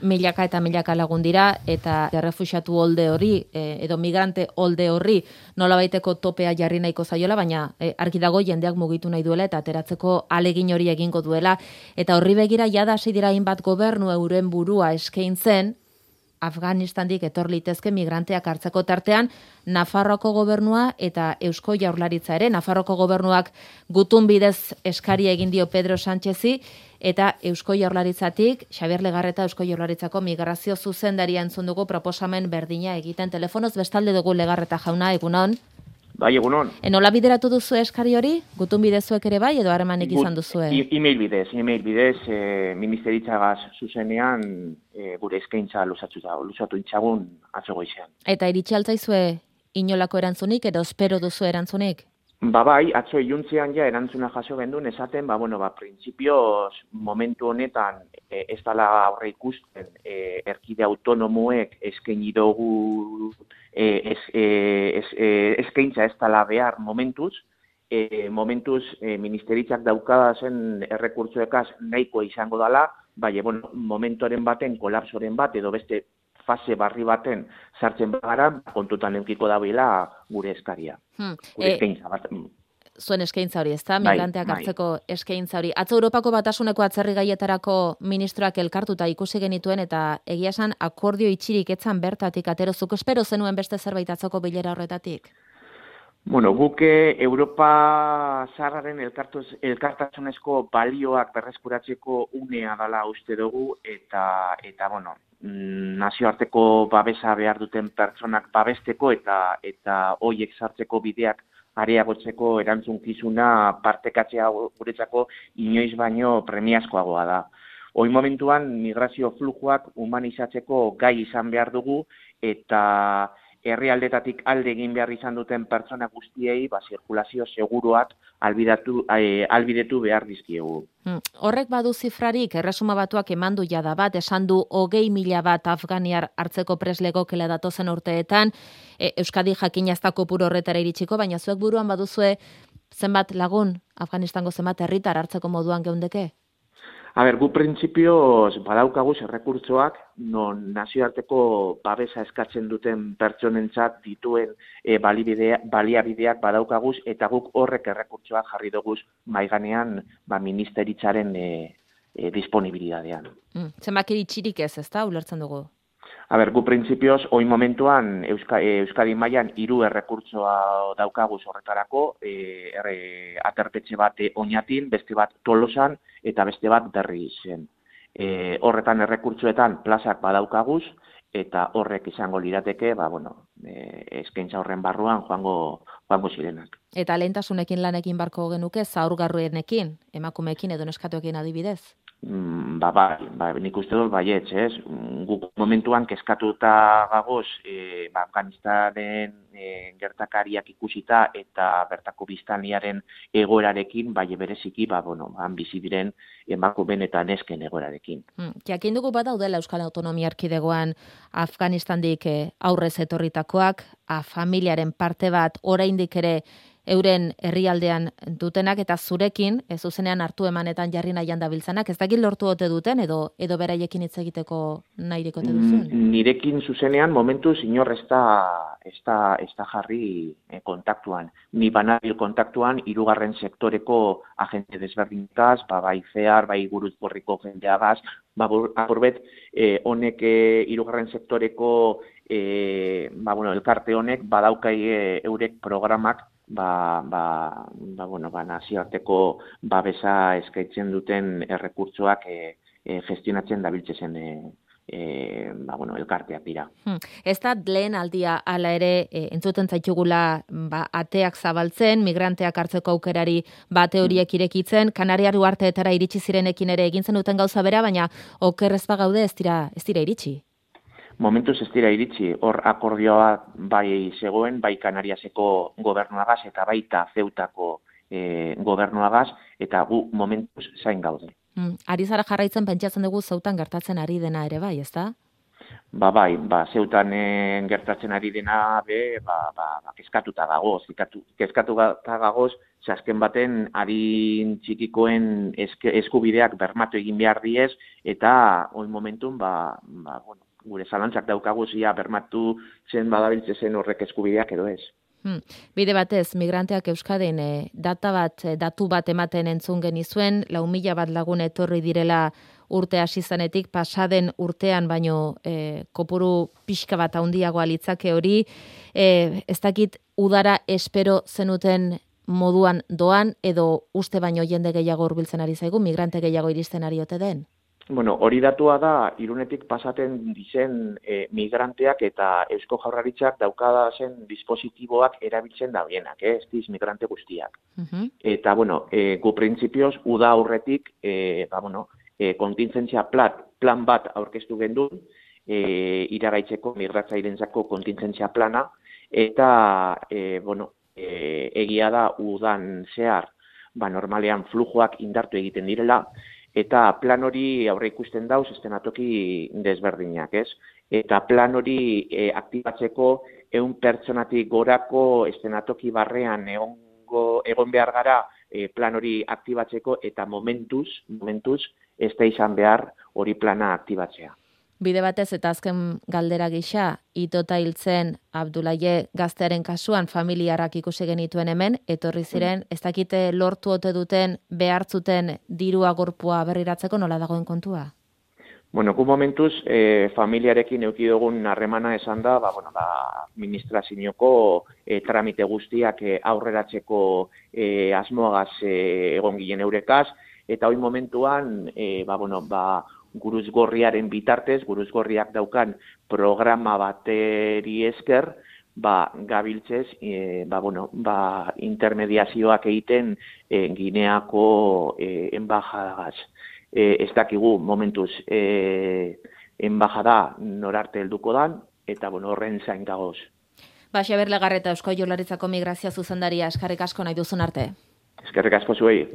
milaka eta milaka lagun dira, eta errefuxiatu holde hori, edo migrante holde horri, nolabaiteko topea jarri nahiko zaiola, baina argi dago jendeak mugitu nahi duela, eta ateratzeko alegin hori egingo duela, eta horri begira jada hasi dira hainbat gobernu euren burua eskaintzen, Afganistandik etor litezke migranteak hartzeko tartean, Nafarroako gobernua eta Eusko Jaurlaritza ere. Nafarroako gobernuak gutun bidez eskaria egin dio Pedro Sánchezi, eta Eusko Jaurlaritzatik, Xabier Legarreta Eusko Jaurlaritzako migrazio zuzendaria entzun dugu proposamen berdina egiten. Telefonoz bestalde dugu Legarreta jauna, egunon. Bai, egunon. Nola bideratu duzu eskari hori? Gutun bidezuek ere bai, edo harremanik izan duzue? E-mail bidez, ministeritzagaz zuzenean gure eskaintza luzatu itxagun atzo goizean. Eta iritsi altzaizue inolako erantzunik, edo espero duzu erantzunik? Bai, atzo iluntzean ja erantzuna jaso gendun esaten, printzipioz momentu honetan ez dala aurre ikusten erkide autonomoek eskaini dugu eskaintza ez dala behar momentuz ministeritzak daukada zen errekurtsoekaz nahikoa izango dela, momentoren baten, kolapsoren bat, edo beste fase barri baten sartzen bagara, kontutan eukiko dabeila gure eskaria. Gure eskaintza bat. Zuen eskaintza hori, ezta? Migranteak hartzeko eskaintza hori. Atzo Europako Batasuneko atzerri gaietarako ministroak elkartuta ikusi genituen, eta egia esan akordio itxirik etzan bertatik aterozuk. Espero zenuen beste zerbait atzoko bilera horretatik? Guk Europa zaharraren elkartasunezko balioak berreskuratzeko unea dela uste dugu, eta nazioarteko babesa behar duten pertsonak babesteko eta hoiek sartzeko bideak areagotzeko erantzunkizuna partekatzea guretzako inoiz baino premiazkoagoa da. Hoi momentuan migrazio flujoak humanizatzeko gai izan behar dugu, eta herrialdetatik alde egin behar izan duten pertsona guztiei zirkulazio seguruak albidetu behar dizkiegu. Horrek badu zifrarik, Erresuma Batuak emandu jada bat, esan du 20.000 bat afganiar hartzeko preslegokela datozen urteetan, Euskadi jakina ez da kopuru horretara iritsiko, baina zuek buruan baduzue zenbat lagun, Afganistango zenbat herritar hartzeko moduan geundeke? Gu printzipioz badaukaguz errekurtsoak non nazioarteko babesa eskatzen duten pertsonentzat dituen baliabideak badaukaguz, eta guk horrek errekurtsoak jarri duguz maiganean ministeritzaren disponibilidadean. Zenbaki itxirik ezta, ulertzen dugu? Gu printzipioz, hoi momentuan Euskadi mailan 3 errekurtsoa daukaguz horretarako, aterpetxe bat Oñatin, beste bat Tolosan, eta beste bat Berrizen. Horretan errekurtsoetan plazak badaukaguz, eta horrek izango lirateke, eskaintza horren barruan joango zirenak. Eta lehentasunekin lanekin barko genuke, zaurgarruenekin, emakumeekin edo neskatoekin adibidez? Nik uste dut baietz, ez? Guk momentuan kezkatuta gagoz, Afganistanen gertakariak ikusita eta bertako biztanlearen egoerarekin, bereziki, bizi diren emakumeen eta nesken egoerarekin. Jakin dugu badaudela Euskal Autonomia Erkidegoan Afganistandik aurrez etorritakoak, familiaren parte bat oraindik ere euren herrialdean dutenak, eta zurekin, zuzenean hartu emanetan jarri nahian dabiltzanak, ez dakit lortu ote duten, edo beraiekin hitz egiteko nahirik ote duzuen? Nirekin zuzenean momentuz inor ez da jarri kontaktuan. Ni banabil kontaktuan 3. sektoreko agente desberdintaz, bai FEAR, bai Gurutporriko jendeagaz, apurbet, honek 3. sektoreko elkarte honek badaukai eurek programak nazioarteko babesa eskaintzen duten errekurtsoak gestionatzen dabiltzezen elkarteak dira. Ez da lehen aldia hala ere entzuten zaitugula ateak zabaltzen, migranteak hartzeko aukerari bate horiek irekitzen, Kanariar uharteetara iritsi zirenekin ere egin zenuten gauza bera, baina oker ez bagaude ez dira iritsi. Momentuz ez dira iritsi, hor akordioa bai zegoen, bai Kanariaseko gobernuagaz eta baita Zeutako gobernuagaz, eta gu momentuz zain gaude. Ari zara jarraitzen pentsatzen dugu Zeutan gertatzen ari dena ere bai, ezta? Zeutan gertatzen ari dena kezkatuta gagoz. Kezkatuta gagoz, azken baten adin txikikoen eskubideak bermatu egin behar diez, eta oin momentun, bueno, gure zalantzak daukagu zia bermatu zen badabiltze zen horrek eskubideak edo ez. Bide batez, migranteak Euskadin datu bat ematen entzun genizuen, 4.000 bat lagun etorri direla urte hasi zanetik, pasaden urtean baino kopuru pixka bat handiagoa litzake hori, ez dakit udara espero zenuten moduan doan, edo uste baino jende gehiago hurbiltzen ari zaigu, migrante gehiago iristen ari ote den? Bueno, hori datua da, Irunetik pasaten dizen migranteak eta Eusko Jaurlaritzak daukada zen dispositiboak erabiltzen da bienak, ez diz migrante guztiak. Eta, bueno, gu printzipioz, uda aurretik, kontingentzia plan bat aurkeztu gendun, iragaitzeko migratzairentzako kontingentzia plana, eta, egia da udan zehar, normalean flujoak indartu egiten direla, eta plan hori aurre ikusten dauz eszenatoki desberdinak, ez? Eta plan hori aktibatzeko 100 pertsonatik gorako eszenatoki barrean egon behar gara plan hori aktibatzeko, eta momentuz ez da izan behar hori plana aktibatzea. Bide batez eta azken galdera gisa, itota hiltzen Abdulaye gaztearen kasuan familiarrak ikusi genituen hemen, etorri ziren, ez dakite lortu ote duten behartzuten dirua gorpua berriratzeko, nola dagoen kontua? Bueno, gu momentuz, familiarekin eduki dugun harremana esan da, administrazioko tramite guztiak aurreratzeko asmoagaz egon ginen eurekaz, eta hori momentuan, Guruz Gorriaren bitartez, Guruz Gorriak daukan programa bateri esker, gabiltzez, intermediazioak egiten Gineako enbajadagaz. Ez dakigu momentuz enbajada norarte helduko dan, eta horren zain gagoz. Xabier Legarreta, Eusko Jaurlaritzako Migrazio Zuzendaria, eskerrik asko nahi duzun arte. Eskerrik asko zuei.